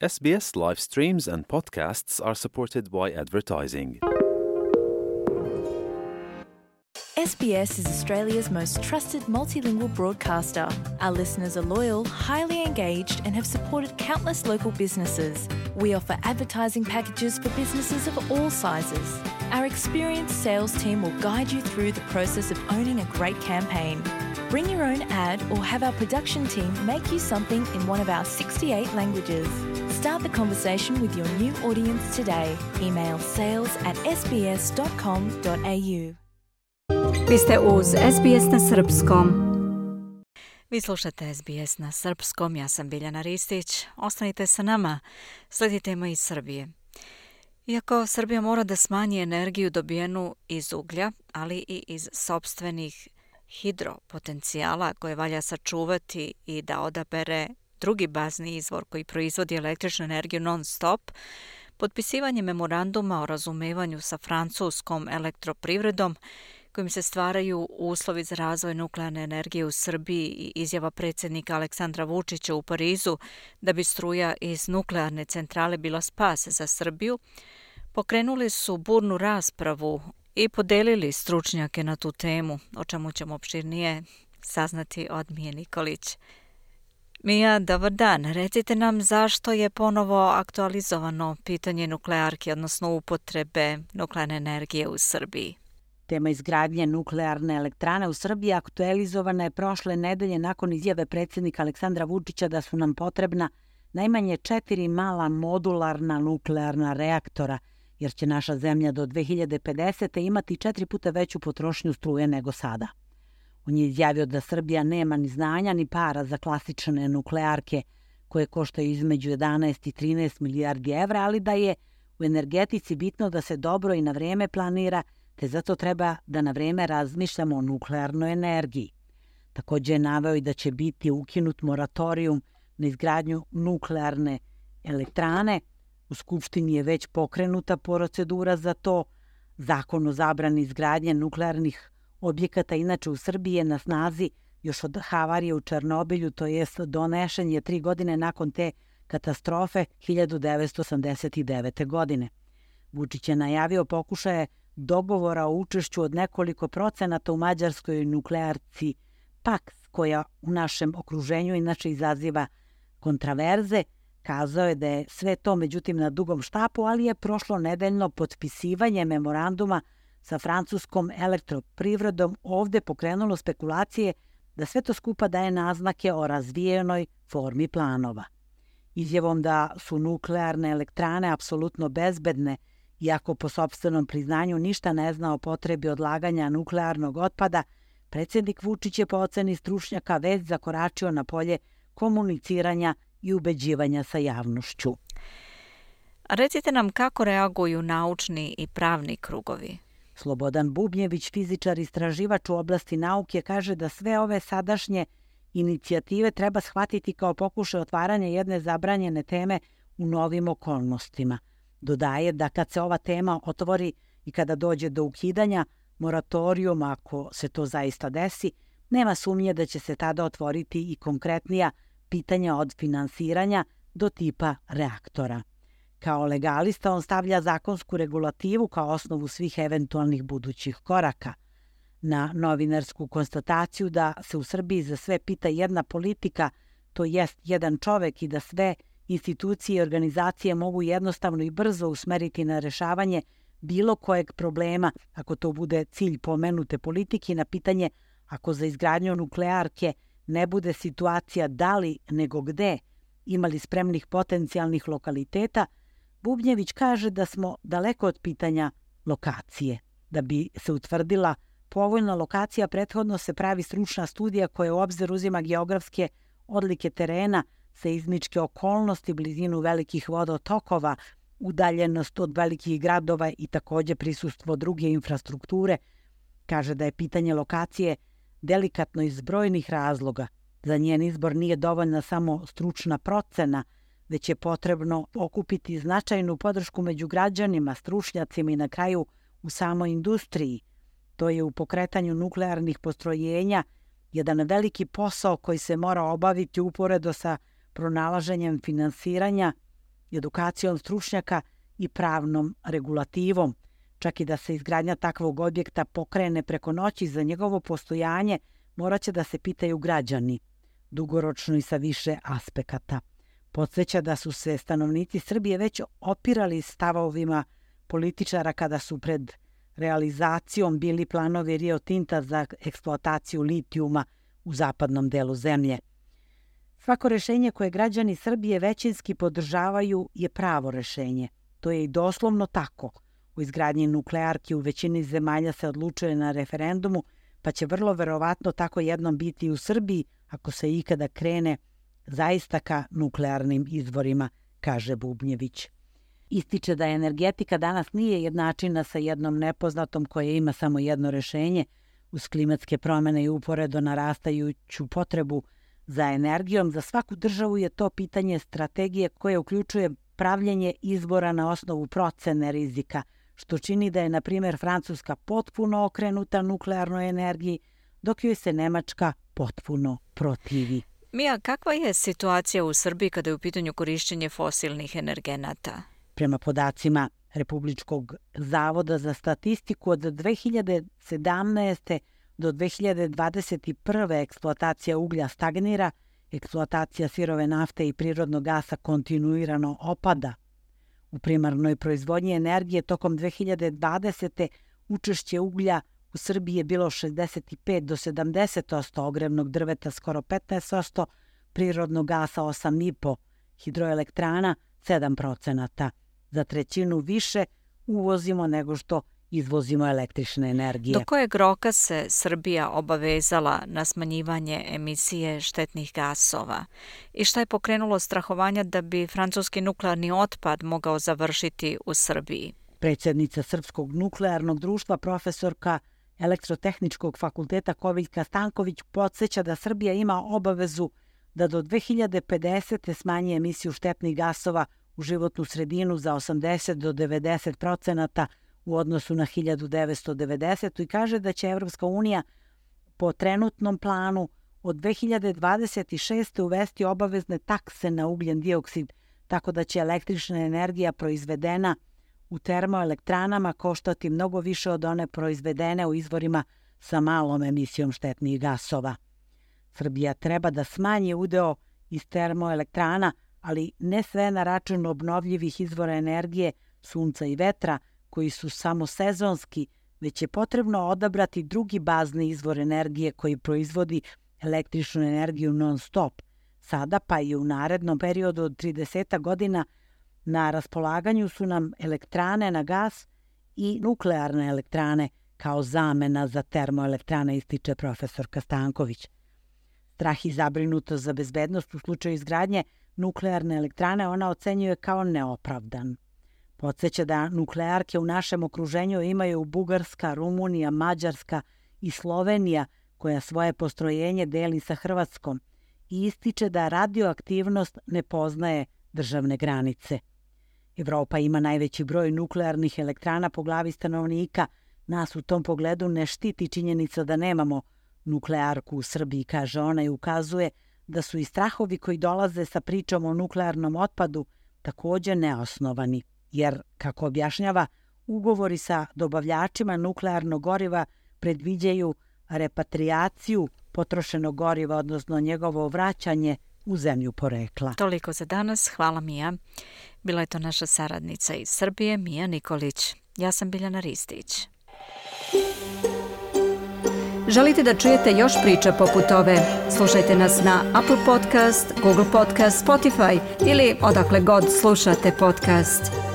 SBS live streams and podcasts are supported by advertising. SBS is Australia's most trusted multilingual broadcaster. Our listeners are loyal, highly engaged, and have supported countless local businesses. We offer advertising packages for businesses of all sizes. Our experienced sales team will guide you through the process of owning a great campaign. Bring your own ad or have our production team make you something in one of our 68 languages. Start the conversation with your new audience today. Email sales@sbs.com.au. Vi ste uz SBS na srpskom. Vi slušate SBS na srpskom, ja sam Biljana Ristić. Ostanite sa nama, slijedi tema iz Srbije. Iako Srbija mora da smanji energiju dobijenu iz uglja, ali i iz sopstvenih hidropotencijala koje valja sačuvati i da odabere drugi bazni izvor koji proizvodi električnu energiju non-stop, potpisivanje memoranduma o razumevanju sa francuskom elektroprivredom kojim se stvaraju uslovi za razvoj nuklearne energije u Srbiji i izjava predsjednika Aleksandra Vučića u Parizu da bi struja iz nuklearne centrale bila spas za Srbiju, pokrenuli su burnu raspravu i podelili stručnjake na tu temu, o čemu ćemo opširnije saznati od Mije Nikolić. Mija, dobar dan. Recite nam zašto je ponovo aktualizovano pitanje nuklearke, odnosno upotrebe nuklearne energije u Srbiji. Tema izgradnje nuklearne elektrane u Srbiji aktualizovana je prošle nedelje nakon izjave predsjednika Aleksandra Vučića da su nam potrebna najmanje 4 mala modularna nuklearna reaktora, jer će naša zemlja do 2050. imati 4 puta veću potrošnju struje nego sada. On je izjavio da Srbija nema ni znanja ni para za klasične nuklearke koje koštaju između 11 i 13 milijardi evra, ali da je u energetici bitno da se dobro i na vrijeme planira, te zato treba da na vrijeme razmišljamo o nuklearnoj energiji. Također je naveo i da će biti ukinut moratorijum na izgradnju nuklearne elektrane. U Skupštini je već pokrenuta procedura za to. Zakon o zabrani izgradnje nuklearnih objekata inače u Srbiji je na snazi još od havarije u Černobilju, to jest donešen je 3 godine nakon te katastrofe 1989. godine. Vučić je najavio pokušaje dogovora o učešću od nekoliko procenata u mađarskoj nuklearci Paks, koja u našem okruženju inače izaziva kontraverze. Kazao je da je sve to međutim na dugom štapu, ali je prošlo nedeljno potpisivanje memoranduma sa francuskom elektroprivredom ovdje pokrenulo spekulacije da sve to skupa daje naznake o razvijenoj formi planova. Izjavom da su nuklearne elektrane apsolutno bezbedne, iako po sopstvenom priznanju ništa ne zna o potrebi odlaganja nuklearnog otpada, predsjednik Vučić je po oceni stručnjaka već zakoračio na polje komuniciranja i ubeđivanja sa javnošću. Recite nam kako reaguju naučni i pravni krugovi. Slobodan Bubnjević, fizičar i istraživač u oblasti nauke, kaže da sve ove sadašnje inicijative treba shvatiti kao pokušaj otvaranja jedne zabranjene teme u novim okolnostima. Dodaje da kad se ova tema otvori i kada dođe do ukidanja moratorijuma, ako se to zaista desi, nema sumnje da će se tada otvoriti i konkretnija pitanja od finansiranja do tipa reaktora. Kao legalista on stavlja zakonsku regulativu kao osnovu svih eventualnih budućih koraka. Na novinarsku konstataciju da se u Srbiji za sve pita jedna politika, to jest jedan čovek, i da sve institucije i organizacije mogu jednostavno i brzo usmeriti na rešavanje bilo kojeg problema, ako to bude cilj pomenute politike, na pitanje ako za izgradnju nuklearke ne bude situacija da li nego gde, imali spremnih potencijalnih lokaliteta, Bubnjević kaže da smo daleko od pitanja lokacije. Da bi se utvrdila povoljna lokacija, prethodno se pravi stručna studija koja u obzir uzima geografske odlike terena, seizmičke okolnosti, blizinu velikih vodotokova, udaljenost od velikih gradova i također prisustvo druge infrastrukture. Kaže da je pitanje lokacije delikatno iz brojnih razloga. Za njen izbor nije dovoljna samo stručna procena, već je potrebno okupiti značajnu podršku među građanima, stručnjacima i na kraju u samoj industriji. To je u pokretanju nuklearnih postrojenja jedan veliki posao koji se mora obaviti uporedo sa pronalaženjem finansiranja edukacijom stručnjaka i pravnom regulativom. Čak i da se izgradnja takvog objekta pokrene preko noći, za njegovo postojanje morat će da se pitaju građani, dugoročno i sa više aspekata. Podsjeća da su se stanovnici Srbije već opirali stavovima političara kada su pred realizacijom bili planovi Rio Tinta za eksploataciju litijuma u zapadnom delu zemlje. Svako rešenje koje građani Srbije većinski podržavaju je pravo rešenje. To je i doslovno tako. U izgradnji nuklearki u većini zemalja se odlučuje na referendumu, pa će vrlo verovatno tako jednom biti i u Srbiji ako se ikada krene zaista ka nuklearnim izvorima, kaže Bubnjević. Ističe da energetika danas nije jednačina sa jednom nepoznatom koja ima samo jedno rešenje. Uz klimatske promjene i uporedo narastajuću potrebu za energijom, za svaku državu je to pitanje strategije koje uključuje pravljenje izbora na osnovu procene rizika, što čini da je, na primjer, Francuska potpuno okrenuta nuklearnoj energiji, dok joj se Nemačka potpuno protivi. Mija, kakva je situacija u Srbiji kada je u pitanju korišćenje fosilnih energenata? Prema podacima Republičkog zavoda za statistiku, od 2017. do 2021. eksploatacija uglja stagnira, eksploatacija sirove nafte i prirodnog gasa kontinuirano opada. U primarnoj proizvodnji energije tokom 2020. učešće uglja u Srbiji je bilo 65 do 70%, ogrevnog drveta skoro 15%, prirodnog gasa 8,5%, hidroelektrana 7%. Za trećinu više uvozimo nego što izvozimo električne energije. Do kojeg roka se Srbija obavezala na smanjivanje emisije štetnih gasova? I šta je pokrenulo strahovanja da bi francuski nuklearni otpad mogao završiti u Srbiji? Predsjednica Srpskog nuklearnog društva, profesorka Elektrotehničkog fakulteta Koviljka Stanković podsjeća da Srbija ima obavezu da do 2050. smanji emisiju štetnih gasova u životnu sredinu za 80 do 90% u odnosu na 1990. i kaže da će Evropska unija po trenutnom planu od 2026. uvesti obavezne takse na ugljen dioksid, tako da će električna energija proizvedena u termoelektranama koštati mnogo više od one proizvedene u izvorima sa malom emisijom štetnih gasova. Srbija treba da smanji udeo iz termoelektrana, ali ne sve na račun obnovljivih izvora energije, sunca i vetra, koji su samo sezonski, već je potrebno odabrati drugi bazni izvor energije koji proizvodi električnu energiju non-stop. Sada pa i u narednom periodu od 30 godina na raspolaganju su nam elektrane na gas i nuklearne elektrane kao zamena za termoelektrane, ističe profesorka Stanković. Strah i zabrinutost za bezbednost u slučaju izgradnje nuklearne elektrane ona ocenjuje kao neopravdan. Podsjeća da nuklearke u našem okruženju imaju Bugarska, Rumunija, Mađarska i Slovenija, koja svoje postrojenje deli sa Hrvatskom, i ističe da radioaktivnost ne poznaje državne granice. Evropa ima najveći broj nuklearnih elektrana po glavi stanovnika. Nas u tom pogledu ne štiti činjenica da nemamo nuklearku u Srbiji, kaže ona, i ukazuje da su i strahovi koji dolaze sa pričom o nuklearnom otpadu također neosnovani, jer, kako objašnjava, ugovori sa dobavljačima nuklearnog goriva predviđaju repatriaciju potrošenog goriva, odnosno njegovo vraćanje u zemlju porekla. Toliko za danas. Hvala, Mija. Bila je to naša saradnica iz Srbije, Mija Nikolić. Ja sam Biljana Ristić. Želite da čujete još priča poput ove? Slušajte nas na Apple Podcast, Google Podcast, Spotify ili odakle god slušate podcast.